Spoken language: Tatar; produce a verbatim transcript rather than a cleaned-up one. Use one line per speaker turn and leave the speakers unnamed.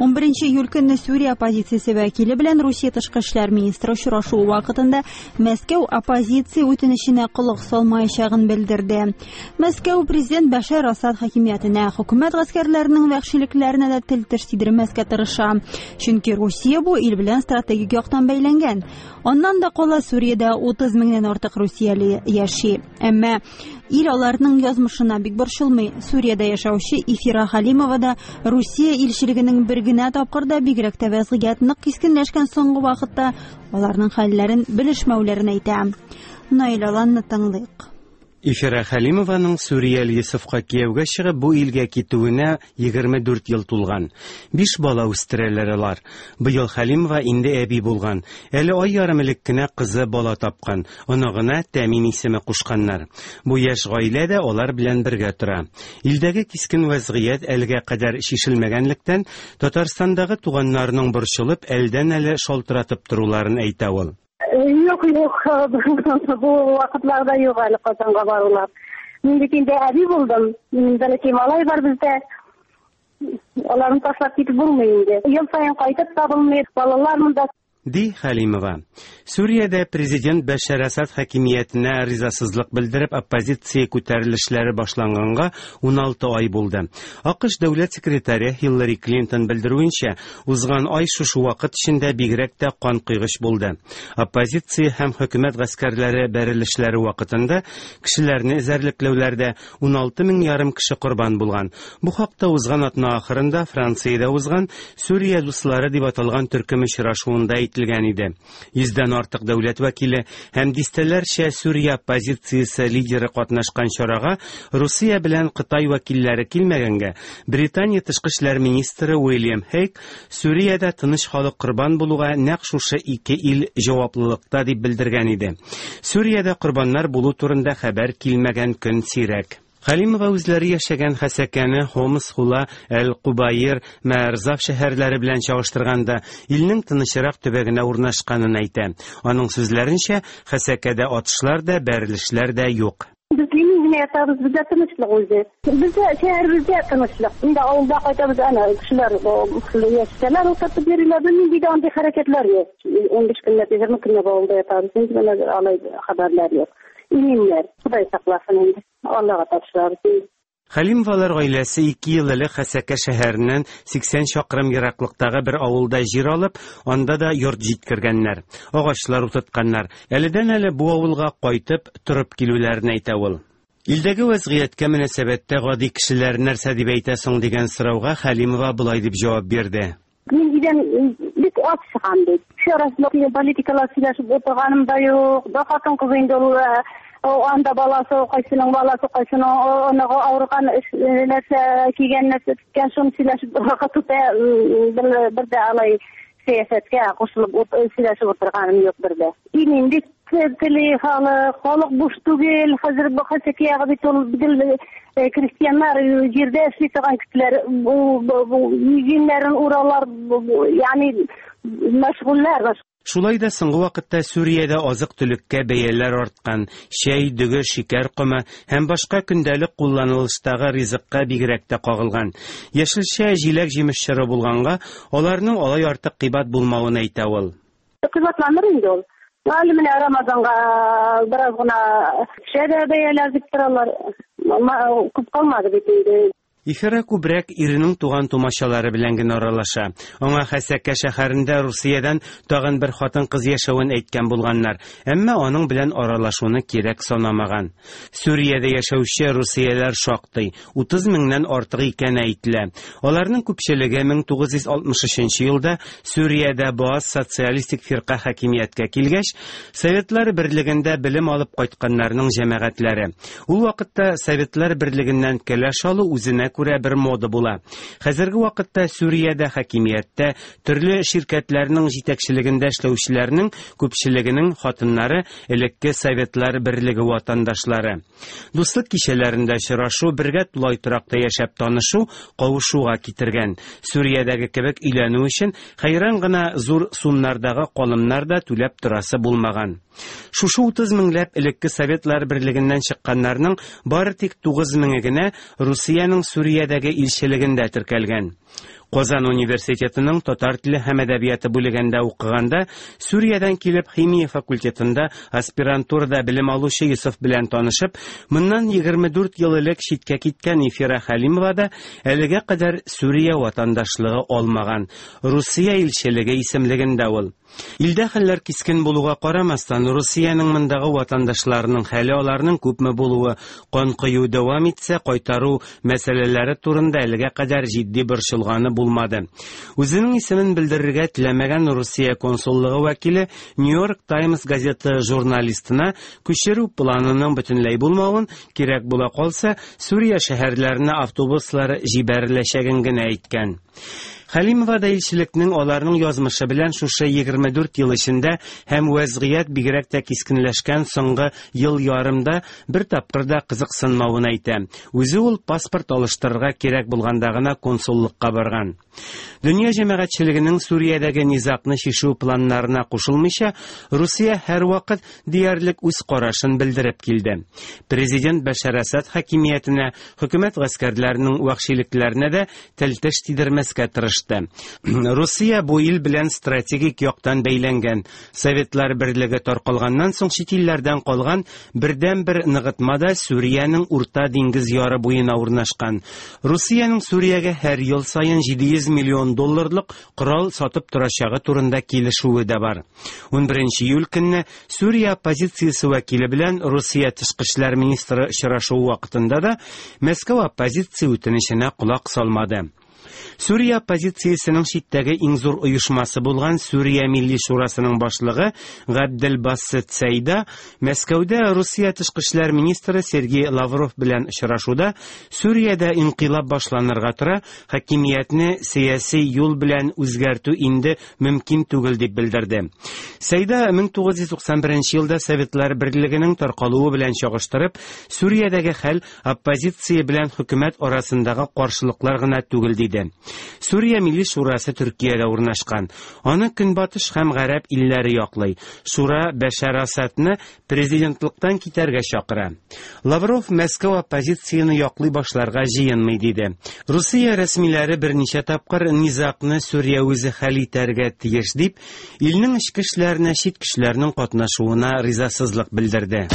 Унберенче июль көнне Сүрия оппозициясе вәкиле белән Русия тышкы эшләр министры очрашуы вакытында Мәскәү оппозиция үтенеченә колак салмаячагын белдерде. Мәскәү президент Бәшәр Асад хакимиятенә, хөкүмәт гаскәрләренең вәхшилекләренә дә тел-теш тидермәскә тырыша. Чөнки Русия бу ил белән стратегик яктан бәйләнгән. Аннан да кала Сүриядә утыз меңнән артык русияле яши. Әмма ил аларның язмышына бик борчылмый. Сүриядә яшәүче Ифира Халимова да Русия илчелегенең бер генә тапкыр да бигрәк тә вәзгыять нык кискенләшкән соңгы вакытта аларның хәлләрен белешмәүләрен әйтә. Наил Аланны тыңлыйк.
Ифира Хәлимованың Сүрияле Йосыфка кияүгә чыгып бу илгә китүенә егерме дүрт ел тулган. Биш бала үстерәләр алар. Быел Хәлимова инде әби булган. Әле ай ярым элек кенә кызы бала тапкан. Оныгына Тәмин исеме кушканнар. Бу яшь гаилә дә алар белән бергә тора. Илдәге кискен вәзгыять әлегә кадәр чишелмәгәнлектән Татарстандагы туганнарының борчылып әлдән-әле шалтыратып торуларын әйтә ул.
Юк, юк, бу вакытларда юк әле Казанга барулар. Мин бит инде әби булдым. Минем бәләкәй малай бар бездә. Аларны ташлап китеп булмый инде. Ел саен кайтып та булмый, балалар монда.
Ди Хәлимова. Сүриядә президент Бәшәр Асад хакимиятенә ризасызлык белдереп оппозиция күтәрелешләре башланганга уналты ай булды. АКШ дәүләт секретаре Хиллари Клинтон белдерүенчә, узган ай шушы вакыт эчендә бигрәк тә канкойгыч булды. Оппозиция һәм хөкүмәт гаскәрләре бәрелешләре вакытында кешеләрне эзәрлекләүләрдә уналты мең ярым кеше корбан булган. Бу хакта узган атна ахырында Франциядә узган Сүрия дуслары дип аталган төркем очрашуында әйтелгән иде. Йөздән артык дәүләт вәкиле һәм дистәләрчә Сүрия оппозициясе лидеры катнашкан чарага Русия белән Кытай вәкилләре килмәгәнгә, Британия тышкы эшләр министры Уильям Хейг Сүриядә тыныч халык корбан булуга нәкъ шушы ике ил җаваплылыкта дип белдергән иде. Сүриядә корбаннар булу турында хәбәр килмәгән көн сирәк. Хәлимова үзләре яшәгән Хәсәкәне Хомс, Хула, Әл-Кубаир, Мәрзаф шәһәрләре белән чагыштырганда илнең тынычрак төбәгенә урнашканын әйтә. Аның сүзләренчә, Хәсәкәдә атышлар да, бәрелешләр дә юк.
Без генә ятабыз, бездә тынычлык үзе. Бездә шәһәребездә тынычлык. Инде авылда кайтабыз, әнә кешеләр яшьтәләр утыртып йөриләр, бернинди дә андый хәрәкәтләр юк. Унбиш көнләп, егерме көнләп авылда ятабыз, инде менә алай хәбәрләр юк. Иминнәр, Ходай сакласын инде. Аллага тапшырабыз.
Хәлимовалар гаиләсе ике ел элек Хәсәкә шәһәреннән сиксән чакрым ераклыктагы бер авылда җир алып, анда да йорт җиткергәннәр, агачлар утыртканнар. Әледән-әле бу авылга кайтып торып килүләрен әйтә ул. Илдәге вәзгыятькә мөнәсәбәттә гади кешеләр нәрсә дип әйтә соң дигән сорауга Хәлимова болай дип җавап бирде.
Мин өйдән бик аз чыгам бит. Кеше арасында политикалар сөйләшеп утырганым да юк. Да хатын кыз инде ул, о, анда баласы, кайсының баласы, кайсының оныгы авырган, нәрсә кигән, нәрсә тоткан, шуны сөйләшеп вакыт үтә, бер, бер дә алай сәясәткә кушылып сөйләшеп утырганым юк бер дә. Иминлек тели халык, халык буш түгел, хәзер бу Хәсәкә ягы бит ул гел крестьяннар җирдә эшли торган кешеләр, бу, бу, бу игеннәрен уралар, бу, бу, ягъни мәшгульләр.
Шулай да соңгы вакытта Сүриядә азык-төлеккә бәяләр арткан, чәй, дөге, шикәр комы һәм башка көндәлек кулланылыштагы ризыкка бигрәк тә кагылган. Яшелчә, җиләк-җимеш чоры булганга, аларның алай артык кыйбат булмавын әйтә ул.
Кыйбатланыр инде ул. Әле менә Рамазанга бераз гына төшә дә бәяләр дип торалар. Күп калмады бит инде.
Ифира күбрәк иренең туган тумачалары белән генә аралаша. Аңа Хәсәкә шәһәрендә Русиядән тагын бер хатын-кыз яшәвен әйткән булганнар, әмма аның белән аралашуны кирәк санамаган. Сүриядә яшәүче русияләр шактый, утыз меңнән артык икәне әйтелә. Аларның күпчелеге мең тугыз йөз алтмыш өченче елда Сүриядә Баас социалистик фирка хакимияткә килгәч, Советлар Берлегендә белем алып кайтканнарның җәмәгатьләре. Ул вакытта Советлар Берлегеннән кәләш алу үзенә күрә бер мода була. Хәзерге вакытта Сүриядә хакимияттә төрле ширкәтләрнең җитәкчелегендә эшләүчеләрнең күпчелегенең хатыннары элекке Советлар Берлеге ватандашлары. Дуслык кичәләрендә очрашу, бергә тулай торакта яшәп танышу кавышуга китергән. Сүриядәге кебек өйләнү өчен хәйран гына зур сумнардагы калымнар да түләп торасы булмаган. Шушы утыз меңләп элекке Советлар Берлегеннән чыкканнарның бары тик тугыз меңе генә Русиянең Сүриядәге илчелегендә теркәлгән. Казан университетының татар теле һәм әдәбияты бүлегендә укыганда Сүриядән килеп химия факультетында аспирантурада белем алучы Йосыф белән танышып, моннан егерме дүрт ел элек читкә киткән Ифира Хәлимова да әлегә кадәр Сүрия ватандашлыгы алмаган. Русия илчелеге исемлегендә ул. Илдә хәлләр кискен булуга карамастан, Русиянең мондагы ватандашларының хәле, аларның күпме булуы, кан кою дәвам итсә, кайтару мәсьәләләре турында әлегә кадәр җитди борчылганы булмады. Үзенең исемен белдерергә теләмәгән Русия консуллыгы вәкиле Нью-Йорк Таймс газеты журналистына күчерү планының бөтенләй булмавын, кирәк була калса, Сүрия шәһәрләренә автобуслар җибәреләчәген генә әйткән. Хәлимова да илчелекнең аларның язмышы белән шушы егерме дүрт ел эчендә һәм вәзгыять бигрәк тә кискенләшкән соңгы ел ярымда бер тапкыр да кызыксынмавын әйтә. Үзе ул паспорт алыштырырга кирәк булганда гына консуллыкка барган. Дөнья җәмәгатьчелегенең Сүриядәге низагны чишү планнарына кушылмыйча, Русия һәрвакыт диярлек үз карашын белдереп килде. Президент Бәшәр Асад хакимиятенә, хөкүмәт гаскәрләренең вәхшилекләренә дә тел-теш тидермәскә тырышты. Русия бу ил белән стратегик яктан бәйләнгән. Советлар берлеге таркалганнан соң чит илләрдән калган бердән-бер ныгытма да Сүриянең Урта диңгез яры буена урнашкан. Русиянең Сүриягә һәр ел саен җиде йөз миллион долларлык корал сатып торачагы турында килешүе дә бар. Унберенче июль көнне Сүрия оппозициясе вәкиле белән Русия тышкы эшләр министры очрашуы вакытында да Мәскәү оппозиция үтенеченә колак салмады. Сүрия оппозициясенең читтәге иң зур оешмасы булган Сүрия Милли Шурасының башлыгы Габделбасит Сәйда Мәскәүдә Русия тышкы эшләр министры Сергей Лавров белән очрашуда Сүриядә инкыйлаб башланырга тора, хакимиятне сәяси юл белән үзгәртү инде мөмкин түгел дип белдерде. Сәйда мең тугыз йөз туксан беренче елда Советлар берлегенең таркалуы белән чагыштырып, Сүриядәге хәл оппозиция белән хөкүмәт арасындагы каршылыклар гына түгел диде. Сүрия Милли Шурасы Төркиядә урнашкан. Аны Көнбатыш һәм Гарәп илләре яклый. Шура Бәшәр Асадны президентлыктан китәргә чакыра. Лавров Мәскәү оппозицияне яклый башларга җыенмый диде. Русия рәсмиләре берничә тапкыр низагны Сүрия үзе хәл итәргә тиеш дип, илнең эчке эшләренә чит кешеләрнең катнашуына ризасызлык белдерде.